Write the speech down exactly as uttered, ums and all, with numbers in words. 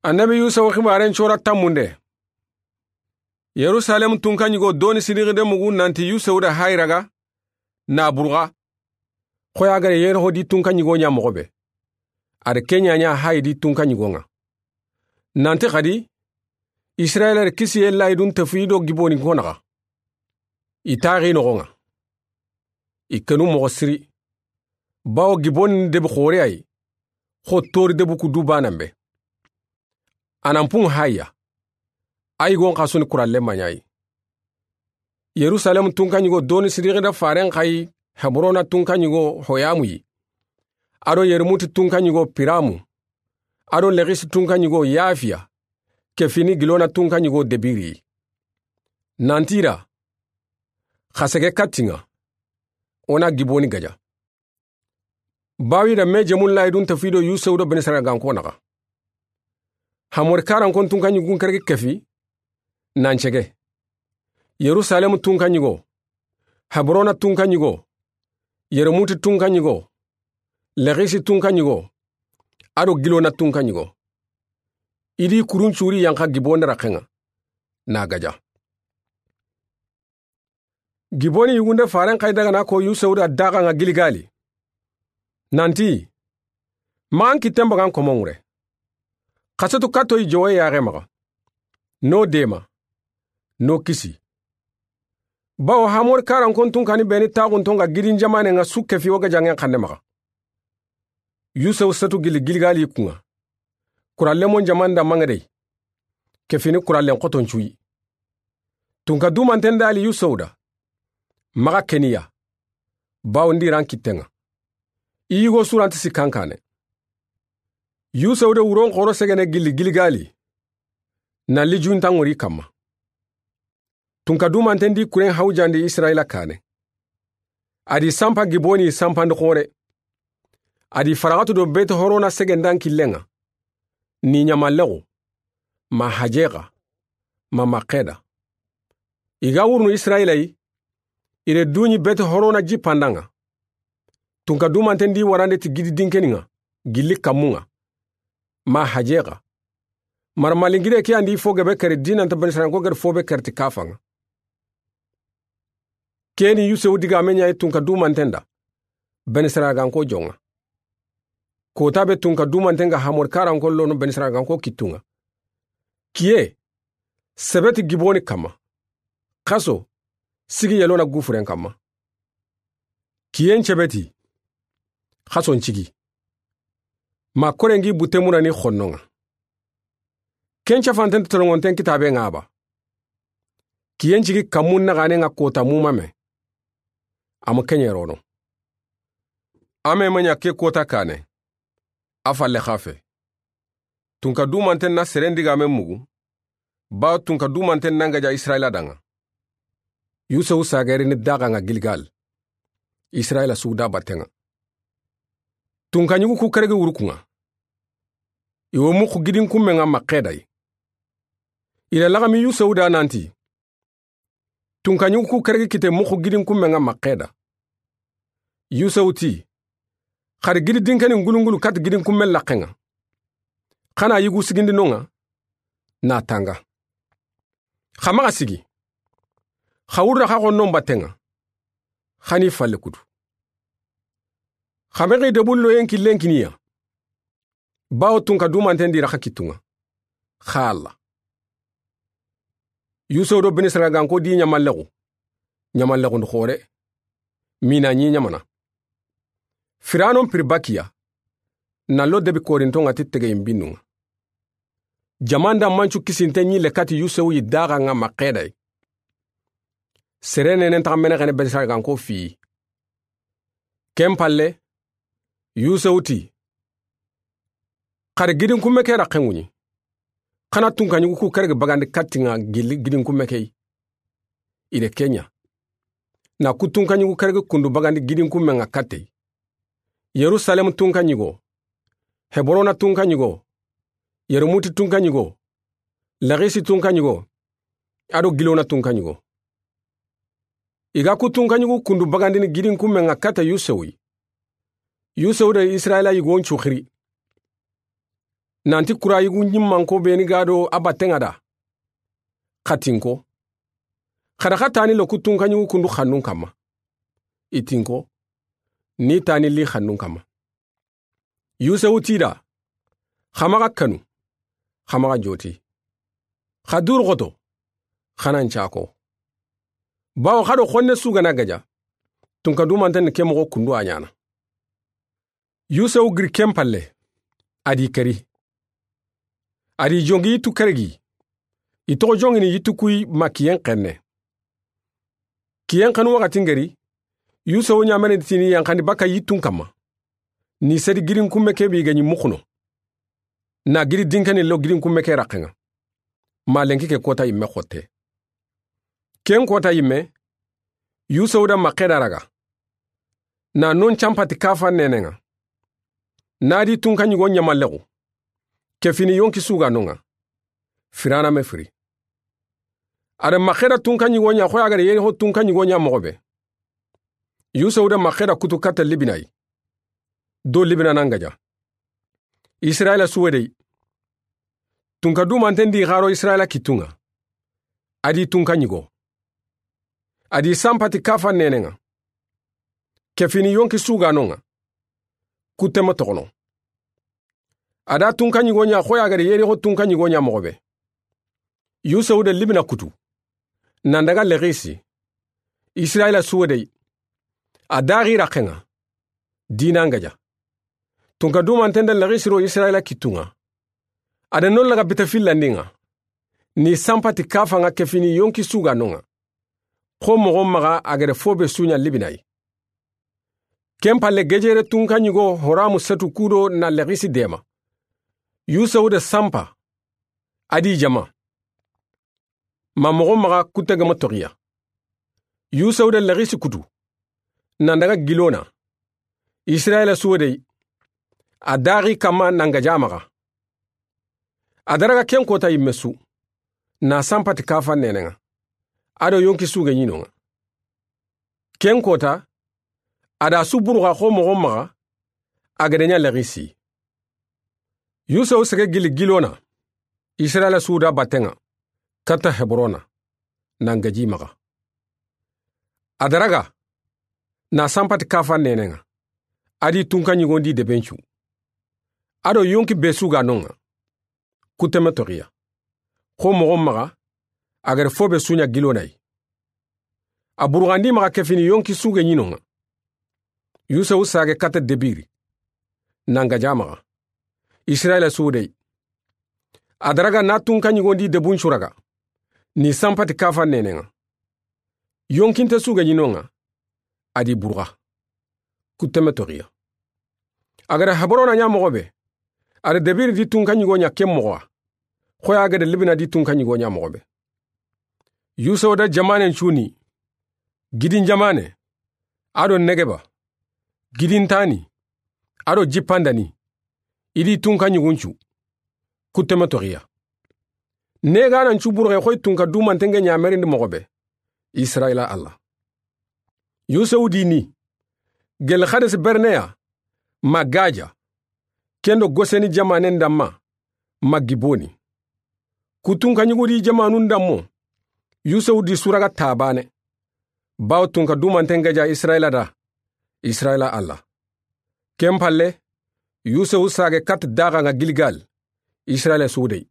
Annabi Yusufu xibaaren cora tammunde. Yerusalem tunka ɲigo doni sidixinde mugu nanti Yusufu da hayi raga na burxa. Xoya gare yere ho di tunka ɲigo ɲa moxo be. A da ke ɲaɲa hayi di tunka ɲigo ŋa. Nanti xadi Israyila da kisiye layidun tefu i do giboni ko naxa. I taxi noxo ŋa. I kenu moxo siri. Bawo giboni debi xoore ayi. Xo tori debu ku du banan be. A nan pun haya. Ayi gon xasuni kuralle maɲayi. Yerusalem tunka ɲigo doni sidixinde faren xayi Hebrona tunka ɲigo Hoyamu yi. A do Yermuti tunka ɲigo Piramu. A do Lexisi tunka ɲigo Yafiya. Ke fini Gilona tunka ɲigo Debiri. Nanti i ra. Xa sege katti ŋa. O na giboni gaja. Bawi da me jemun layidun tefu i do Yusufu do Benisaragankon naxa. Hamori karankon tunka ɲigun keregi kefi. Nan cege. Yerusalem tunka ɲigo. Hebrona tunka ɲigo. Yermuti tunka ɲigo. Lexisi tunka ɲigo. A do Gilona tunka ɲigo. I di kurun curi yanxa giboni raxe ŋa. Na gaja. Giboni yugunde faren xayi daga na ko Yusufu da daxa ŋa Giligali. Nanti. Maxan kitten bagan komon ŋure. Xasetu kattoyi jowoye yaxe maxa. No dema. No kisi. Bawo Hamori karankon tunkani beni taxunton ga gidin jamanen ŋa su kefi o gajangen xanne maxa. Yusufu setu gili Giligali kun ŋa. Kurallemon jaman da maŋedey. Ke fini kurallen xoton cuyi. Tunka dumanten dali Yusufu da. Maxa keniya. Bawo ndi ran kitten ŋa. I yigo suranti sikkankane. Yusufu da wuron xoro segene gili Giligali. Na li juntan ŋori kamma. Tunka dumanten di kuren hawjandi Israyila kane. A di sanpa giboni sanpandi xore. A di faraxatu do Beti Horona segendan killen ŋa. Ni ɲamallexu. Ma hajexa. Ma maxeda. I ga wurunu Israyila yi. I re duɲi Beti Horona jippandan ŋa. Tunka dumanten di warande ti gidi dinkeni ŋa. Gilli kammun ŋa. Ma hajexa. Mara malingire ke andi fo gebe kere dinanta Benisaraganko gere fo be kere ti kafan ŋa. Keni Yusufu digame ɲayi tunka dumanten da. Benisaraganko jon ŋa. Kota be tunka dumanten ga Hamori karankon lono Benisaraganko kittun ŋa. Kiye. Sebeti giboni kamma. Xaso. Sigi yelona gufuren kamma. Kiyen cebeti. Xason cigi. Ma korengi butte munani xonnon ŋa. Ken cafanten tolongonten kitabe ŋa ba. Kiyen cigi kammun naxanen ŋa kota mumame. Amu kenye rono. Ame maɲa ke kota kane. A falle xafe. Tunka dumanten na seren digame mugu. Ba tunka dumanten nan gaja Israyila da ŋa. Yusufu sagerini daxa ŋa Giligali. Israyila sugu da batten ŋa. Tunka ɲugu ku keregi wurukun ŋa. I wo muxu gidin kummen ŋa maxedayi. I da laxami Yusufu da nanti. Tunka ɲugu ku keregi kite muxu gidin kummen ŋa maxeda. Yusufu ti. Xari gidi dinkeni ngulungulu kati gidin kummen laxen ŋa. Xana yigu sigindi non ŋa. Na tanga. Xa maxa sigi. Xa wurda xa xonnon batten ŋa. Xani falle kutu. Xa mexi debullo yen killen kiniya. Bawo tunka dumanten di raxa kittun ŋa. Xa Alla. Yusufu do Benisaraganko di ɲamallexu. Ɲamallexundu xore. Mina ɲi ɲamana. Firanon piribakiya. Na lo debi korinton ŋa ti tegeyin binnun ŋa. Jaman da mancu kisinte ɲi le kati Yusufu yi daxa ŋa maxedayi. Sere nenen taxa mene xene Benisaraganko fiyi. Ken palle. Yusufu ti. Xari gidin kumme ke raxen ŋuɲi. Xana tunka ɲugu ku keregi bagandi katti ŋa gilli gidin kumme ke yi. I de kenya. Na ku tunka ɲugu keregi kundu bagandi gidin kummen ŋa katte yi. Yerusalem tunka ɲigo. Hebrona tunka ɲigo. Yermuti tunka ɲigo. Laxisi tunka ɲigo. A do Gilona tunka ɲigo. I ga ku tunka ɲugu kundu bagandini gidin kummen ŋa kata Yusufu yi. Yusufu da Israyila yigon cu xiri. Nanti kurayigu ɲimmanko beni ga do a battenŋa da. Xa tinko. Xa da xa tani lo ku tunkaɲigu kundu xannun kamma. I tinko. Ni tani li xannun kamma. Yusewu ti da. Xa maxa kanu. Xa maxa joti. Xa duru xoto. Xa nan cako. Bawo xa do xonne su ga na gaja. Tunka dumanten ni ke moxo kundu a ɲaana. Yusewu giri ken palle. A di keri. A di jongi yittu keregi. I toxo jongini yittu kuyi ma kiyen xenne. Kiyen xenu waxatin geri. Yusewu ɲaamene tini yanxandi baka yittun kamma. Ni sedi girin kumme ke bi ga ɲi muxuno. Na giri dinkeni lo girin kumme ke raxenŋa. Ma lenki ke kota yimme xotte. Ken kota yimme. Yusewu da maxe da raga. Na non campati kafa nenenŋa. Na di tunka ɲigo ɲamallexu. Ke fini yonki suga nonŋa. Firana me firi. A da maxe da tunka ɲigo ɲa xoya ga da yeri ho tunka ɲigo ɲa moxo be. Yusewu da maxe da kutu katta libinayi. Do libina nan gaja. Israila suwedey. Tunka dumanten di xaro Israila kittunŋa. A di tunka ɲigo. A di sampati kafa nenenŋa. Ke fini yonki suga nonŋa. Kuttema toxono. A da tunka ɲigo ɲa xoya ga da yeri ho tunka ɲigo ɲa moxo be. Yusewu da libina kutu. Nan daga lexisi. Israila suwedey. A daxi raxenŋa. Dinan gaja. Tunka dumanten da lexisi ro Israila kittunŋa. A da non laga bita fillandinŋa. Ni sampati kafanŋa ke fini yonki suga nonŋa. Xo moxo maxa a ga da fo be su ɲa libinayi. Ken palle gejere tunka ɲigo Horamu setu kudo na lexisi dema. Yusewu da sampa. A di jama. Ma moxo maxa kutte gama toxiya. Yusewu da lexisi kutu. Nan daga gilona. Israila suwedey. A daxi kamma nan gaja maxa. A da raga ken kota yimme su. Na sampati kafa nenenŋa. A do yonki suge ɲinonŋa. Ken kota. A da su buruxa xo moxo maxa. A ga da ɲa lexisi. Yusewu sege gili gilona. Israila su da battenŋa. Katta Hebrona. Nan gaji maxa. A da raga. Na sampati kafa nenenŋa. A di tunka ɲigondi debencu. A do yonki be suga nonŋa. Kutteme toxiya. Xo moxo maxa. A ga da fo be su ɲa gilonayi. A buruxandi maxa ke fini yonki suge ɲinonŋa. Yusewu sage katta debiri. Nan gaja maxa. Israila suwedey. A da raga na tunka ɲigondi debuncu raga. Ni sampati kafa nenenŋa. Yonkinte suge ɲinonŋa. A di buruxa. Kutteme toxiya. A ga da Hebrona ɲa moxo be. A da debiri di tunka ɲigo ɲa ken moxowa. Xoya ga da libina di tunka ɲigo ɲa moxo be. Yusewu da jamanen cuni. Gidin jamane. A do Negeba. Gidintani. A do jippandani. I di tunka ɲiguncu. Kutteme toxiya. Neganan cu buruxe xoy tunka dumanten ŋa ɲamerindi moxo be. Israila Alla. Yusewu di ni. Gel Xadesi Berneya. Ma gaja. Ken do Goseni jamanen damma. Ma Giboni. Ku tunka ɲigudi jamanun dammo. Yusewu di su raga tabane. Bawo tunka dumanten gaja Israila da. Israila Alla. Ken palle. Yusewu sage kat daxanŋa Gilgal. Israila suwedey.